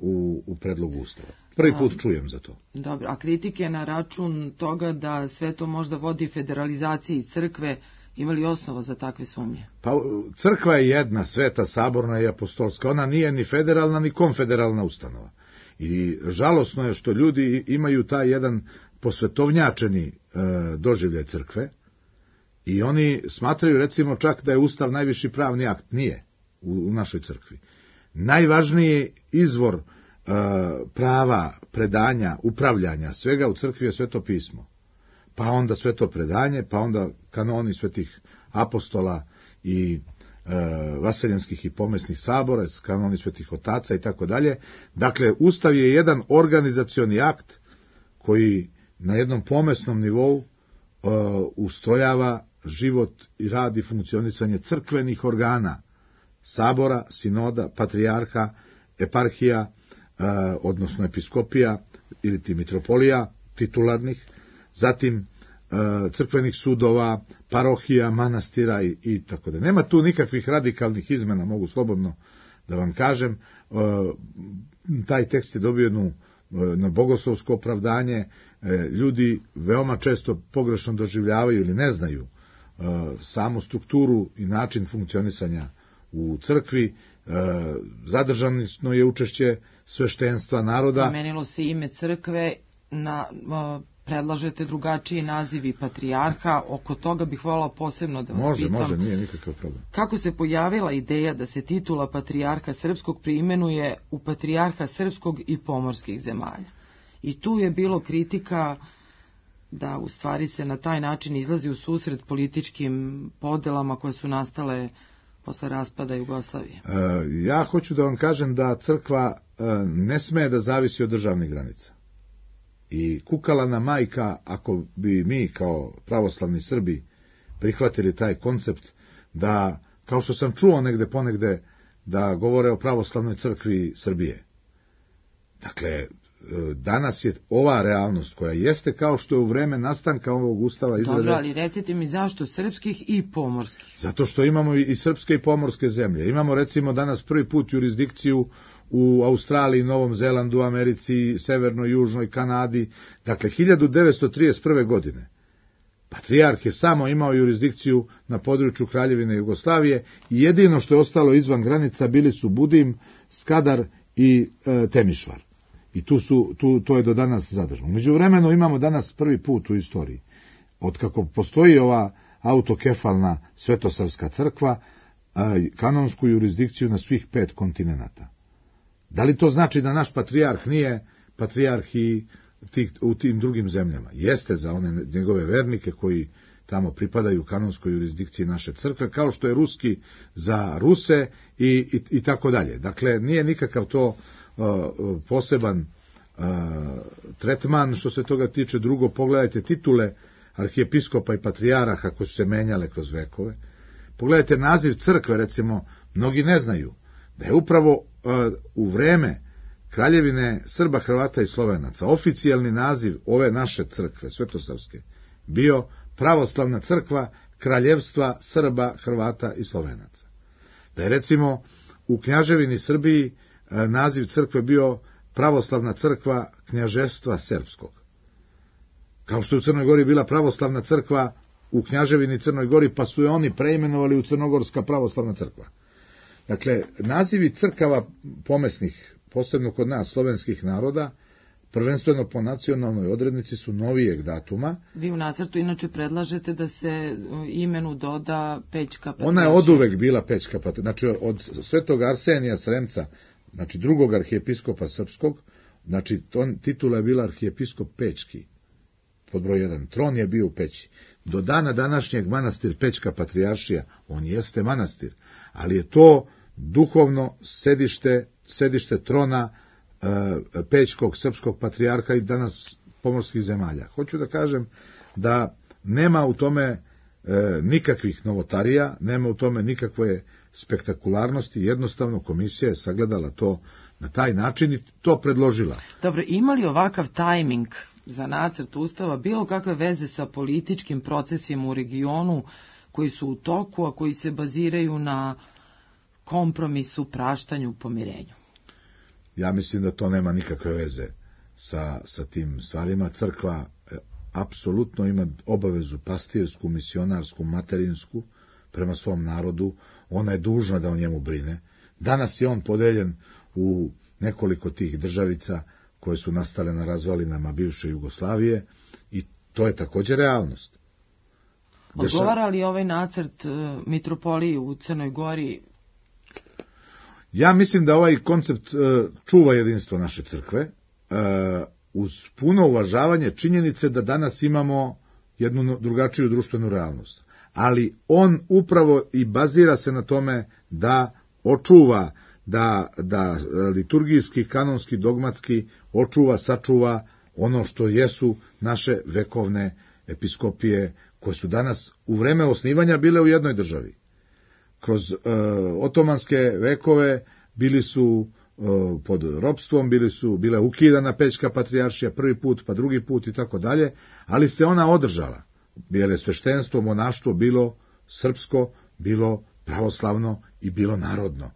u predlogu Ustava. Prvi put čujem za to. Dobro, a kritike na račun toga da sve to možda vodi federalizaciji crkve, ima li osnova za takve sumnje? Pa crkva je jedna, sveta, saborna i apostolska. Ona nije ni federalna ni konfederalna ustanova. I žalosno je što ljudi imaju taj jedan posvetovnjačeni doživljaj crkve i oni smatraju recimo čak da je Ustav najviši pravni akt. Nije u našoj crkvi. Najvažniji izvor prava, predanja, upravljanja, svega u crkvi je Sveto pismo. Pa onda Sveto predanje, pa onda kanoni svetih apostola i vaseljanskih i pomesnih sabora, kanoni svetih otaca i tako dalje. Dakle, Ustav je jedan organizacioni akt koji na jednom pomesnom nivou ustrojava život i rad i funkcionisanje crkvenih organa, sabora, sinoda, patrijarha, eparhija, odnosno episkopija ili ti mitropolija titularnih, zatim crkvenih sudova, parohija, manastira i tako da. Nema tu nikakvih radikalnih izmena, mogu slobodno da vam kažem. Taj tekst je dobio jednu na bogoslovsko opravdanje. Ljudi veoma često pogrešno doživljavaju ili ne znaju samu strukturu i način funkcionisanja u crkvi. Zadržano je učešće sveštenstva naroda. Promenilo se ime crkve, predlažete drugačiji nazivi patrijarha, oko toga bih voljela posebno da vas pitam. Može, nije nikakav problem. Kako se pojavila ideja da se titula patrijarha srpskog preimenuje u patrijarha srpskog i pomorskih zemalja? I tu je bilo kritika da u stvari se na taj način izlazi u susret političkim podelama koje su nastale posle raspada Jugoslavije. Ja hoću da vam kažem da crkva ne sme da zavisi od državnih granica. I kukalana majka, ako bi mi kao pravoslavni Srbi prihvatili taj koncept da, kao što sam čuo negde ponegde, da govore o pravoslavnoj crkvi Srbije. Dakle, danas je ova realnost koja jeste kao što je u vreme nastanka ovog ustava izrade. Dobro, ali recite mi zašto srpskih i pomorskih? Zato što imamo i srpske i pomorske zemlje. Imamo recimo danas prvi put jurisdikciju u Australiji, Novom Zelandu, Americi, Severnoj, Južnoj, Kanadi. Dakle, 1931. godine patrijarh je samo imao jurisdikciju na području Kraljevine Jugoslavije i jedino što je ostalo izvan granica bili su Budim, Skadar i Temišvar. I to je do danas zadržano. Međuvremeno imamo danas prvi put u istoriji, otkako postoji ova autokefalna Svetosavska crkva, kanonsku jurisdikciju na svih 5 kontinenata. Da li to znači da naš patrijarh nije patrijarh i u tim drugim zemljama? Jeste za one njegove vernike koji tamo pripadaju kanonskoj jurisdikciji naše crkve, kao što je ruski za Ruse i tako dalje. Dakle, nije nikakav to poseban tretman što se toga tiče. Drugo, pogledajte titule arhijepiskopa i patrijaraha koje su se menjale kroz vekove. Pogledajte naziv crkve, recimo, mnogi ne znaju da je upravo u vreme Kraljevine Srba, Hrvata i Slovenaca oficijalni naziv ove naše crkve, Svetosavske, bio Pravoslavna crkva Kraljevstva Srba, Hrvata i Slovenaca. Da je recimo u Knjaževini Srbiji naziv crkve bio Pravoslavna crkva Knjaževstva Srpskog. Kao što je u Crnoj Gori bila Pravoslavna crkva u Knjaževini Crnoj Gori, pa su je oni preimenovali u Crnogorska pravoslavna crkva. Dakle, nazivi crkava pomesnih, posebno kod nas, slovenskih naroda, prvenstveno po nacionalnoj odrednici su novijeg datuma. Vi u nacrtu inače predlažete da se imenu doda Pećka patrijaršija. Ona je oduvek bila Pećka patrijaršija. Znači, od svetog Arsenija Sremca, znači drugog arhijepiskopa srpskog, znači titula je bila arhijepiskop Pećki, pod broj 1. Tron je bio u Peći. Do dana današnjeg manastir Pećka patrijaršija, on jeste manastir, ali je to duhovno sedište trona Pećkog srpskog patrijarha i danas pomorskih zemalja. Hoću da kažem da nema u tome nikakvih novotarija, nema u tome nikakve spektakularnosti, jednostavno komisija je sagledala to na taj način i to predložila. Dobro, ima li ovakav tajming za nacrt ustava bilo kakve veze sa političkim procesima u regionu koji su u toku, a koji se baziraju na kompromisu, praštanju, pomirenju? Ja mislim da to nema nikakve veze sa tim stvarima. Crkva apsolutno ima obavezu pastirsku, misionarsku, materinsku prema svom narodu. Ona je dužna da o njemu brine. Danas je on podeljen u nekoliko tih državica koje su nastale na razvalinama bivše Jugoslavije i to je također realnost. Odgovara li ovaj nacrt mitropoliji u Crnoj Gori? Ja mislim da ovaj koncept čuva jedinstvo naše crkve, uz puno uvažavanje činjenice da danas imamo jednu drugačiju društvenu realnost. Ali on upravo i bazira se na tome da očuva, da liturgijski, kanonski, dogmatski očuva, sačuva ono što jesu naše vekovne episkopije koje su danas u vreme osnivanja bile u jednoj državi. kroz otomanske vekove bili su pod ropstvom, bila ukidana Pećka patrijaršija prvi put, pa drugi put i tako dalje, ali se ona održala, jer je sveštenstvo, monaštvo bilo srpsko, bilo pravoslavno i bilo narodno.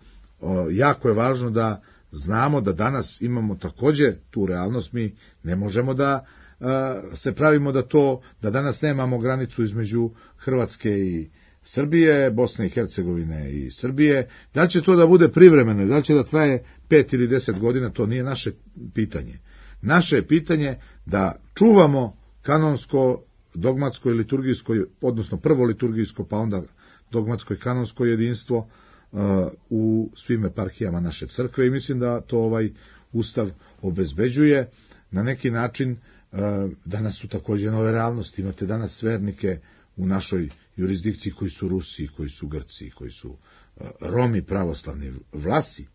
Jako je važno da znamo da danas imamo takođe tu realnost, mi ne možemo da se pravimo da danas nemamo granicu između Hrvatske i Srbije, Bosne i Hercegovine i Srbije. Da li će to da bude privremeno, da li će da traje 5 ili 10 godina, to nije naše pitanje. Naše je pitanje da čuvamo kanonsko, dogmatsko i liturgijsko, odnosno prvo liturgijsko, pa onda dogmatsko i kanonsko jedinstvo u svim eparhijama naše crkve i mislim da to ovaj Ustav obezbeđuje. Na neki način danas su takođe nove realnosti. Imate danas vernike u našoj jurisdikciji koji su Rusi, koji su Grci, koji su Romi pravoslavni, Vlasi.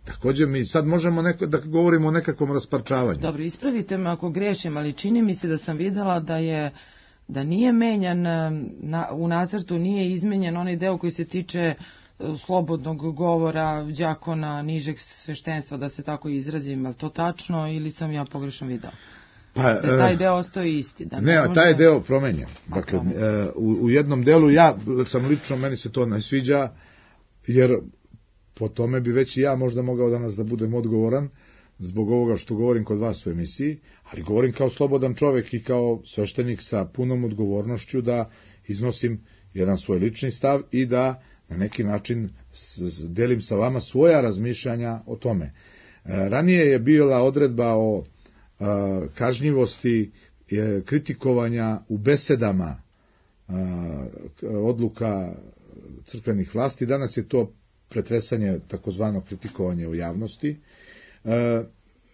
Također mi sad možemo da govorimo o nekakvom rasparčavanju. Dobro, ispravite me ako grešim, ali čini mi se da sam videla da nije menjan, u nacrtu nije izmenjen onaj deo koji se tiče slobodnog govora đakona nižeg sveštenstva, da se tako izrazim. Je li to tačno ili sam ja pogrešno videla? Da taj deo ostaje isti. Taj deo promenjen. Dakle, u jednom delu ja sam lično, meni se to ne sviđa, jer po tome bi već i ja možda mogao danas da budem odgovoran zbog ovoga što govorim kod vas u emisiji, ali govorim kao slobodan čovek i kao sveštenik sa punom odgovornošću da iznosim jedan svoj lični stav i da na neki način delim sa vama svoja razmišljanja o tome. Ranije je bila odredba o kažnjivosti kritikovanja u besedama odluka crkvenih vlasti. Danas je to pretresanje, takozvano kritikovanje u javnosti.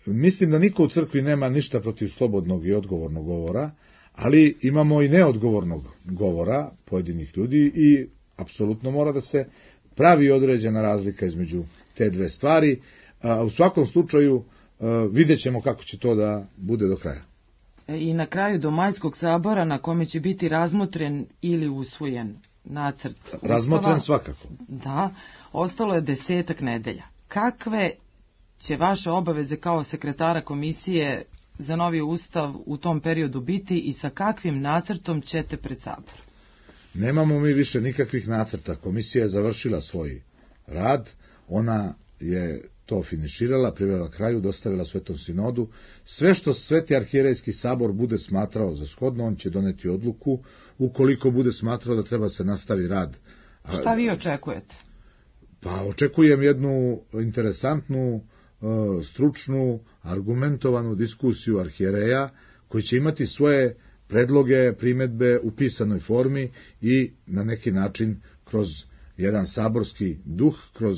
Mislim da niko u crkvi nema ništa protiv slobodnog i odgovornog govora, ali imamo i neodgovornog govora pojedinih ljudi i apsolutno mora da se pravi određena razlika između te dve stvari. U svakom slučaju vidjet ćemo kako će to da bude do kraja. I na kraju do majskog sabora na kome će biti razmotren ili usvojen nacrt Ustava. Razmotren svakako. Da, ostalo je 10 nedelja. Kakve će vaše obaveze kao sekretara komisije za novi Ustav u tom periodu biti i sa kakvim nacrtom ćete pred sabor? Nemamo mi više nikakvih nacrta. Komisija je završila svoj rad, ona je to finiširala, privela kraju, dostavila Svetom sinodu. Sve što Sveti arhijerejski sabor bude smatrao za shodno, on će doneti odluku. Ukoliko bude smatrao da treba se nastavi rad. Šta vi očekujete? Pa očekujem jednu interesantnu, stručnu, argumentovanu diskusiju arhijereja koji će imati svoje predloge, primedbe u pisanoj formi i na neki način kroz jedan saborski duh, kroz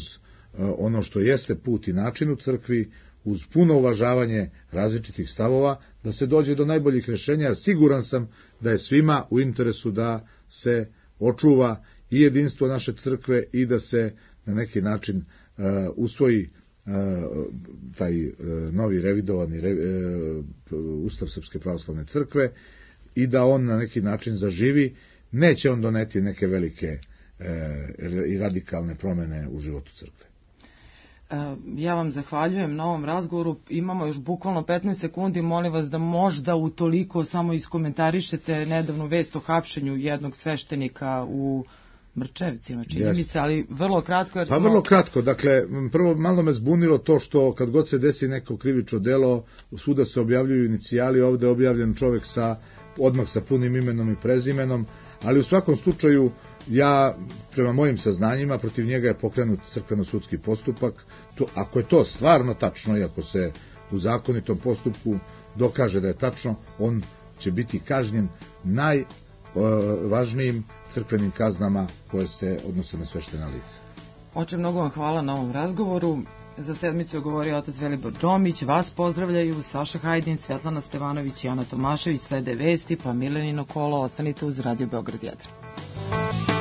ono što jeste put i način u crkvi, uz puno uvažavanje različitih stavova, da se dođe do najboljih rešenja, jer siguran sam da je svima u interesu da se očuva i jedinstvo naše crkve i da se na neki način usvoji taj novi revidovani Ustav Srpske pravoslavne crkve i da on na neki način zaživi. Neće on doneti neke velike i radikalne promene u životu crkve. Ja vam zahvaljujem na ovom razgovoru. Imamo još bukvalno 15 sekundi. Molim vas da možda utoliko samo iskomentarišete nedavnu vest o hapšenju jednog sveštenika u Mrčevcima, čini mi se, ali vrlo kratko. Jer vrlo kratko. Dakle, prvo malo me zbunilo to što kad god se desi neko krivično delo, svuda se objavljuju inicijali, ovde je objavljen čovek odmah sa punim imenom i prezimenom, ali u svakom slučaju ja, prema mojim saznanjima, protiv njega je pokrenut crkveno-sudski postupak. Ako je to stvarno tačno i ako se u zakonitom postupku dokaže da je tačno, on će biti kažnjen najvažnijim crkvenim kaznama koje se odnose na sveštena lica. Oče, mnogo vam hvala na ovom razgovoru. Za sedmicu je govorio otac Velibor Đomić. Vas pozdravljaju Saša Hajdin, Svetlana Stevanović i Ana Tomašević. Slede vesti, pa Milenino kolo. Ostanite uz Radio Beograd 1.